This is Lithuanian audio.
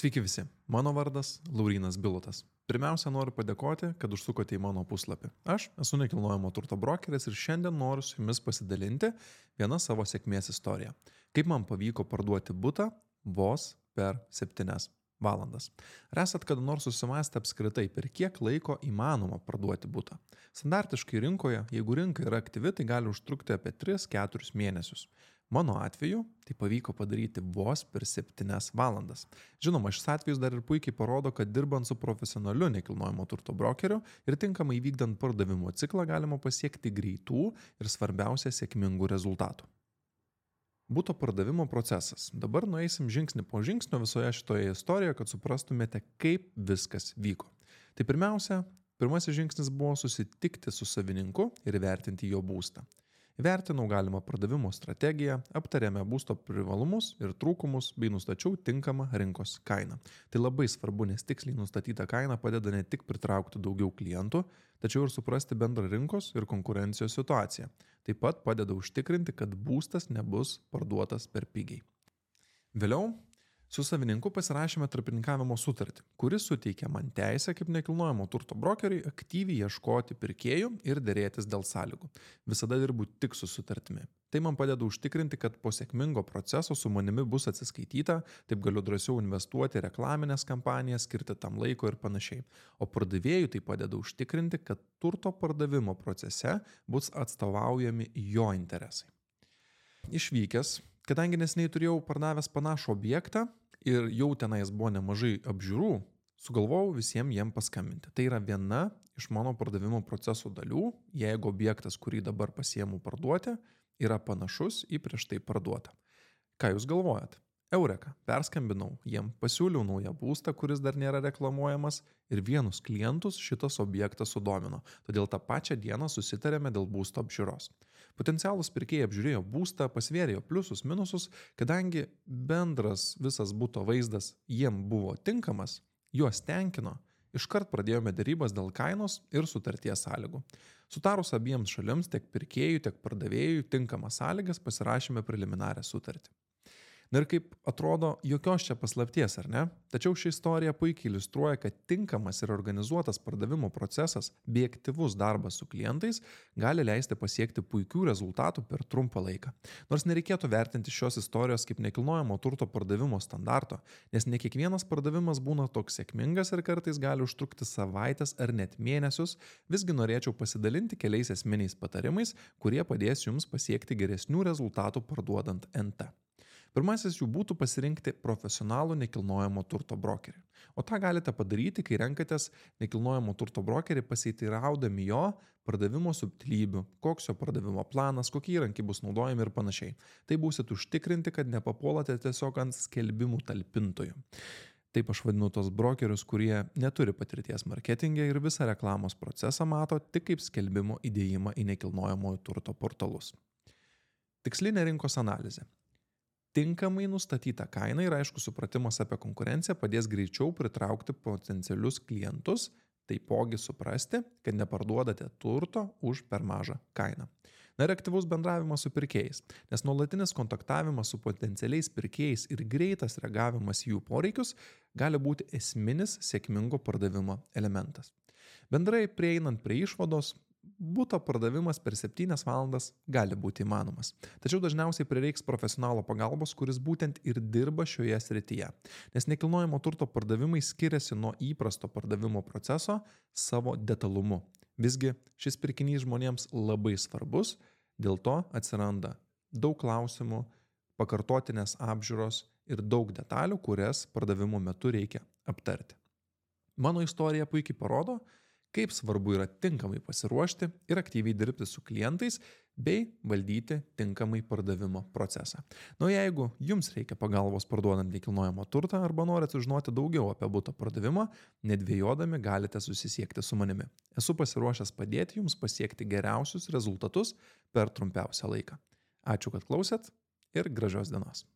Sveiki visi, mano vardas Laurynas Bilotas. Pirmiausia, noriu padėkoti, kad užsukote į mano puslapį. Aš esu nekilnojamo turto brokeris ir šiandien noriu su jumis pasidalinti vieną savo sėkmės istoriją. Kaip man pavyko parduoti butą vos per 7 valandas. Ar esat kada nors susimąstę apskritai, per kiek laiko įmanoma parduoti butą? Standartiškai rinkoje, jeigu rinka yra aktyvi, tai gali užtrukti apie 3-4 mėnesius. Mano atveju tai pavyko padaryti vos per 7 valandas. Žinoma, šis atvejis dar ir puikiai parodo, kad dirbant su profesionaliu nekilnojamo turto brokeriu ir tinkamai vykdant pardavimo ciklą galima pasiekti greitų ir svarbiausia sėkmingų rezultatų. Buto pardavimo procesas. Dabar nueisim žingsnį po žingsnio visoje šitoje istorijoje, kad suprastumėte, kaip viskas vyko. Tai pirmasis žingsnis buvo susitikti su savininku ir įvertinti jo būstą. Įvertinau galimą pardavimo strategiją, aptarėme būsto privalumus ir trūkumus bei nustačiau tinkamą rinkos kainą. Tai labai svarbu, nes tiksliai nustatyta kaina padeda ne tik pritraukti daugiau klientų, tačiau ir suprasti bendrą rinkos ir konkurencijos situaciją. Taip pat padeda užtikrinti, kad būstas nebus parduotas per pigiai. Vėliau su savininku pasirašėme tarpininkavimo sutartį, kuris suteikia man teisę kaip nekilnojamo turto brokeriui aktyviai ieškoti pirkėjų ir dėrėtis dėl sąlygų. Visada dirbu tik su sutartimi. Tai man padeda užtikrinti, kad po sėkmingo proceso su manimi bus atsiskaityta, taip galiu drąsiau investuoti į reklaminės kampanijas, skirti tam laiko ir panašiai. O pardavėjui tai padeda užtikrinti, kad turto pardavimo procese bus atstovaujami jo interesai. Išvykęs, kadangi neseniai turėjau pardavęs panašų objektą ir jau tenais buvo nemažai apžiūrų, sugalvojau visiems jiem paskambinti. Tai yra viena iš mano pardavimo proceso dalių, jeigu objektas, kurį dabar pasiemu parduoti, yra panašus į prieš tai parduotą. Ką jūs galvojat? Eureka, perskambinau jiem, pasiūliau naują būstą, kuris dar nėra reklamuojamas ir vienus klientus šitas objektas sudomino. Todėl tą pačią dieną susitarėme dėl būsto apžiūros. Potencialūs pirkėjai apžiūrėjo būstą, pasvėrėjo pliusus, minusus, kadangi bendras visas buto vaizdas jiem buvo tinkamas, juos tenkino, iškart pradėjome dėrybas dėl kainos ir sutarties sąlygų. Sutarus abiems šalims, tiek pirkėjų, tiek pardavėjų tinkamas sąlygas pasirašėme preliminarią sutartį. Na ir kaip atrodo, jokios čia paslapties, ar ne? Tačiau ši istorija puikiai iliustruoja, kad tinkamas ir organizuotas pardavimo procesas bei aktyvus darbas su klientais gali leisti pasiekti puikių rezultatų per trumpą laiką. Nors nereikėtų vertinti šios istorijos kaip nekilnojamo turto pardavimo standarto, nes ne kiekvienas pardavimas būna toks sėkmingas ir kartais gali užtrukti savaitės ar net mėnesius, visgi norėčiau pasidalinti keliais esminiais patarimais, kurie padės jums pasiekti geresnių rezultatų parduodant NT. Pirmasis jų būtų pasirinkti profesionalų nekilnojamo turto brokerį. O tą galite padaryti, kai renkatės nekilnojamo turto brokerį pasiteiraudami jo pardavimo subtilybių, koks jo pardavimo planas, kokie įrankiai bus naudojami ir panašiai. Tai būsit užtikrinti, kad nepapuolate tiesiog ant skelbimų talpintojų. Taip aš vadinu tos brokerius, kurie neturi patirties marketinge ir visą reklamos procesą mato tik kaip skelbimo įdėjimą į nekilnojamojo turto portalus. Tikslinė rinkos analizė. Tinkamai nustatyta kaina ir aišku supratimas apie konkurenciją padės greičiau pritraukti potencialius klientus, taipogi suprasti, kad neparduodate turto už per mažą kainą. Na ir aktyvus bendravimas su pirkėjais, nes nuolatinis kontaktavimas su potencialiais pirkėjais ir greitas reagavimas į jų poreikius gali būti esminis sėkmingo pardavimo elementas. Bendrai prieinant prie išvados, buto pardavimas per 7 valandas gali būti įmanomas. Tačiau dažniausiai prireiks profesionalo pagalbos, kuris būtent ir dirba šioje srityje. Nes nekilnojamo turto pardavimai skiriasi nuo įprasto pardavimo proceso savo detalumu. Visgi šis pirkinys žmonėms labai svarbus, dėl to atsiranda daug klausimų, pakartotinės apžiūros ir daug detalių, kurias pardavimo metu reikia aptarti. Mano istorija puikiai parodo, kaip svarbu yra tinkamai pasiruošti ir aktyviai dirbti su klientais bei valdyti tinkamai pardavimo procesą. Na, jeigu jums reikia pagalbos parduodant nekilnojamą turtą arba norite sužinoti daugiau apie buto pardavimą, nedvejodami galite susisiekti su manimi. Esu pasiruošęs padėti jums pasiekti geriausius rezultatus per trumpiausią laiką. Ačiū, kad klausėt ir gražios dienos.